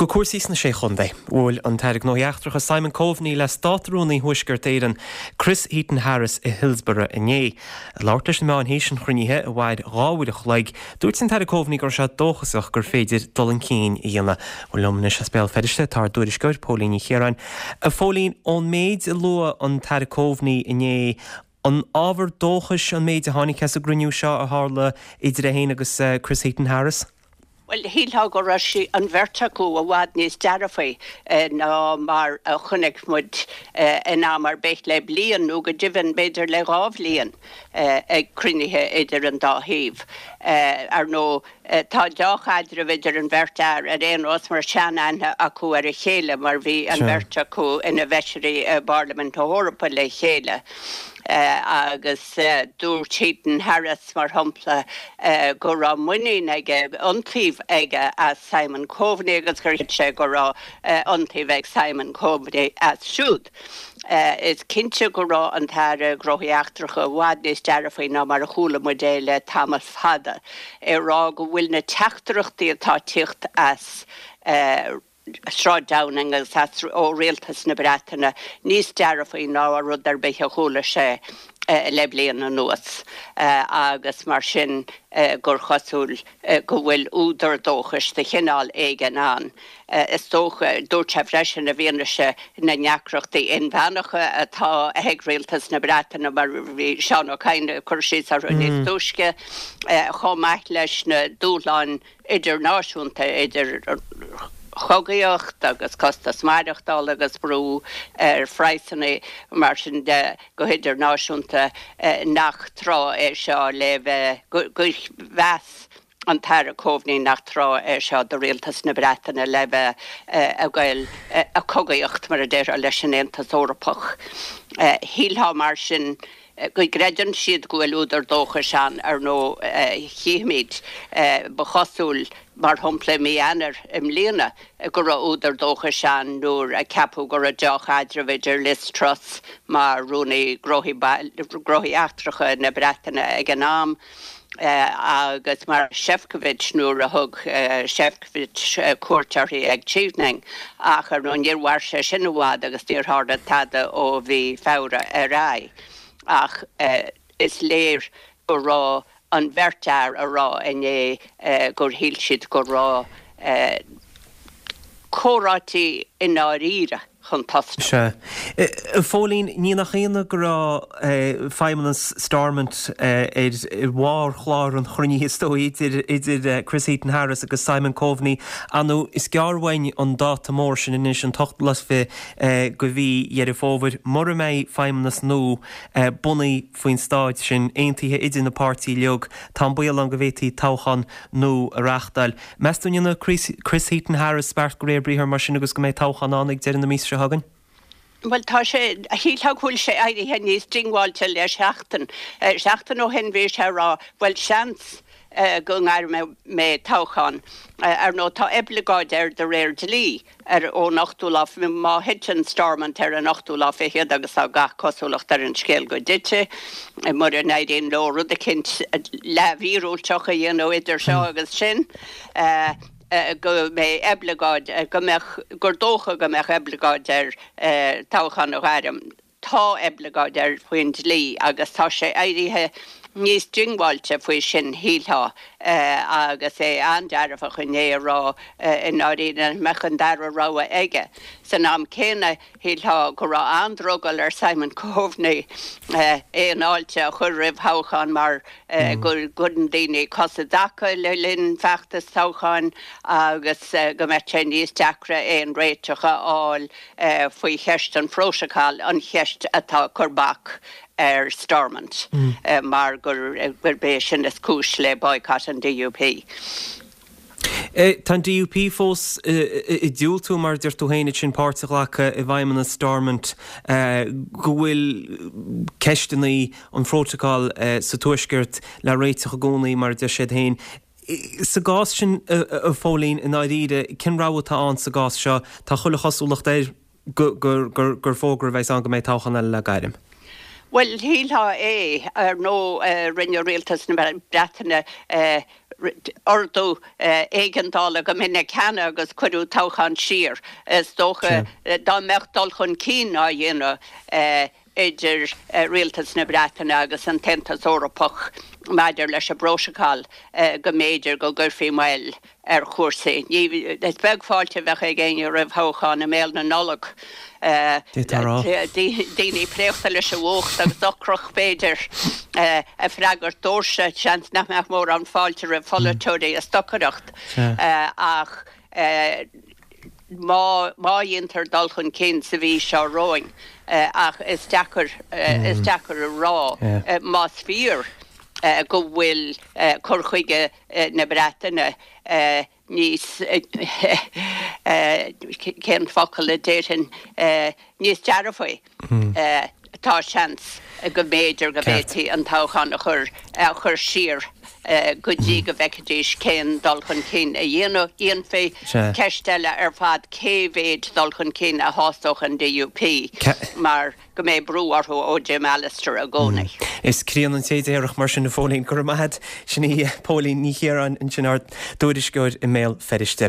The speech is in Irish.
Go cúrsaí sna Sé Chontae. Bhuail an tAire Gnóthaí Eachtracha Simon Coveney le Státrúnaí Thuaisceart Éireann, Chris Heaton-Harris i Hillsborough inné. Ag labhairt leis na meáin théis an chruinnithe, a mhair 2 uair a chloig, dúirt an tAire Coveney go raibh sé dóchasach gur féidir dul chun cinn a dhéanamh. Bhuel liom anois as Béal Feirste tá ár dtuairisceoir, Póilín Ní Chiaráin. A Phóilín, ón méid a luaigh an tAire Coveney inné, an ábhar dóchais an méid a tháinig as an gcruinniú seo a tharla idir é féin agus Chris Heaton-Harris? Bhuel, shílfeá go raibh sí, an bheirt acu, i bhfad níos dearfaí ná mar a chonaic muid in am ar bith le bliain, nó go deimhin b'fhéidir le dhá bhliain, ag cruinnithe idir an dá thaobh. Ar ndóigh, tá deá-chaidreamh idir an bheirt fhear ar aon nós mar sean-aithne acu ar a chéile mar bhí an bheirt acu ina bhfeisirí i bParlaimint na hEorpa le chéile agus dúirt Heaton-Harris, mar shampla, go raibh muinín aige, iontaoibh aige as Simon Coveney agus gur chreid sé go raibh iontaoibh ag Simon Coveney as siúd. Is cinnte go raibh an tAire Gnóthaí Eachtracha i bhfad níos dearfaí ná mar a chuala muid é le tamall fada, ag rá go bhfuil na teachtaireachtaí atá ag tíocht as Sráid Downing agus as ó Rialtas na Breataine níos dearfaí ná rud ar bith a chuala sé le bliain anuas agus mar sin gur chosúil go bhfuil údar dóchais de chineál éigin ann. Is dócha, dúirt sé freisin, i bhfianaise na ndeacrachtaí inmheánacha atá ag Rialtas na Breataine, mar a bhí Seán Ó Cadhain ag cur síos orthu níos túisce, chomh maith leis na dúshláin idirnáisiúnta, idir chogaíocht agus costas maireachtála agus brú ar phraghsanna, mar sin de, go hidirnáisiúnta, nach tráth é seo le bheith, gur mheas an tAire Coveney nach tráth é seo do Rialtas na Breataine le bheith ag goil ag cogaíocht, mar a déarfá, leis an Aontas Eorpach. Shílfeá mar sin go gcreideann siad go bhfuil údar dóchais ann, ar ndóigh, chífimid. Ba chosúil, mar shampla, i mí Eanáir i mbliana go raibh údar dóchais ann nuair a ceapadh go raibh deá-chaidreamh idir Liz Truss mar Rúnaí Gnóthaí Eachtracha na Breataine ag an am agus Maroš Šefčovič nuair a thug Šefčovič cuairt uirthi ag Chevening. Ach, ar ndóigh, níor mhair sé sin i bhfad agus níor tharla tada ó mhí Feabhra ar aghaidh. Ach is léir go raibh an bheirt fhear a rá inné gur shíl siad go raibh comhráití i ndáiríre chun tosnú. Sea. A Phóilín, ní nach ionadh go raibh feidhmeannas Stormont ar bharr chlár an chruinnithe is dóigh idir idir Chris Heaton-Harris agus Simon Coveney. Ar ndóigh, is gearr uainn an dáta mór sin anois, an t-ochtú lá is fiche de mhí Dheireadh Fómhair. Mura mbeidh feidhmeannas nua bunaithe faoin staid sin, aontaithe idir na páirtithe uilig, tá an baol ann go bhféadfaí toghchán nua a reáchtáil. Meas tú an ndéanfaidh Chris Heaton-Harris beart de réir briathair mar sin agus go mbeidh toghchán ann ag deireadh na míosa seo chugainn? Bhuel, tá sé, shílfeá go bhfuil sé éirithe níos diongbháilte le seachtain. Seachtain ó shin bhí sé ag rá, bhuel, seans go ngairmfidh mé toghchán. Ar ndóigh, tá oibleagáid air de réir dlí. ar ón ochtú lá, má thiteann Stormont ar an ochtú lá fichead, agus tá gach cosúlacht ar an scéal go dtitfidh, mura n-éiríonn leo rud eicínt leathmhíorúilteach a dhéanamh idir seo agus sin, go mbeidh oibleagáid, go mbeadh, gur dócha go mbeadh oibleagáid air toghchán a ghairm. Tá oibleagáid air faoin dlí agus tá sé éirithe níos diongbháilte faoi sin, shílfeá, agus é an-dearfach inné ag rá i ndáiríre nach mbeadh an dara rogha aige. San am céanna, shílfeá go raibh an-drogall ar Simon Coveney aon fháilte a chur roimh thoghchán mar go gcuireann daoine cos i dtaca le linn feachtas toghcháin agus go mbeadh sé níos deacra aon réiteach a fháil faoi cheist an phrótacail, an cheist atá ag cur bac ar Stormont mar gurb é sin is cúis le boycott an DUP. Tá an DUP fós ag diúltú, mar a deir tú féin ansin, páirt a ghlacadh i bhfeidhmeannas Stormont, go bhfuil ceisteanna an phrótacail sa Tuaisceart le réiteach i gcónaí, mar a deir siad féin. Sa gcás sin, a Phóilín, i ndáiríre, cén rogha atá ann sa gcás seo? Tá chuile chosúlacht air gur fógra a bheas ann go mbeidh toghchán eile le gairm. Bhuel, shílfeá é. Ar ndóigh, rinne rialtas na Breataine. Ordú éigeandála go minic cheana agus cuireadh toghchán siar. Is dócha dá mbeadh dul chun cinn á dhéanamh idir Rialtas na Breataine agus an tAontas Eorpach maidir leis an bprótacal go mb'fhéidir go gcuirfí moill ar chúrsaí. Is beag fáilte a bheadh ag éinne roimh thoghchán i mbéal na Nollag. Daoine préachta leis an bhfuacht agus ocrach, b'fhéidir, ag freagairt doirse. Seans nach mbeadh mórán fáilte roimh pholaiteoirí ag stocaireacht ach má dhéantar dul chun cinn sa mhí seo romhainn, ach is deacair, is deacair a rá más fíor go bhfuil cur chuige na Breataine níos, cén focal a déarfainn, níos dearfaí. Tá seans go mb'fhéidir go bhféadfaí an toghchán a chur a chur siar go dtí go bhfeicfidís cén dul chun cinn a dhéanfaí. Ceist eile ar fad cé mhéid dul chun cinn a shásódh an DUP mar go mbeidh brú orthu ó Jim Allister i gcónaí. Is críonna an té déarfadh mar sin, a Phóilín. Go raibh maith a't. Sin í Póilín Ní Chiaráin ansin, ár dtuairisceoir i mBéal Feirste.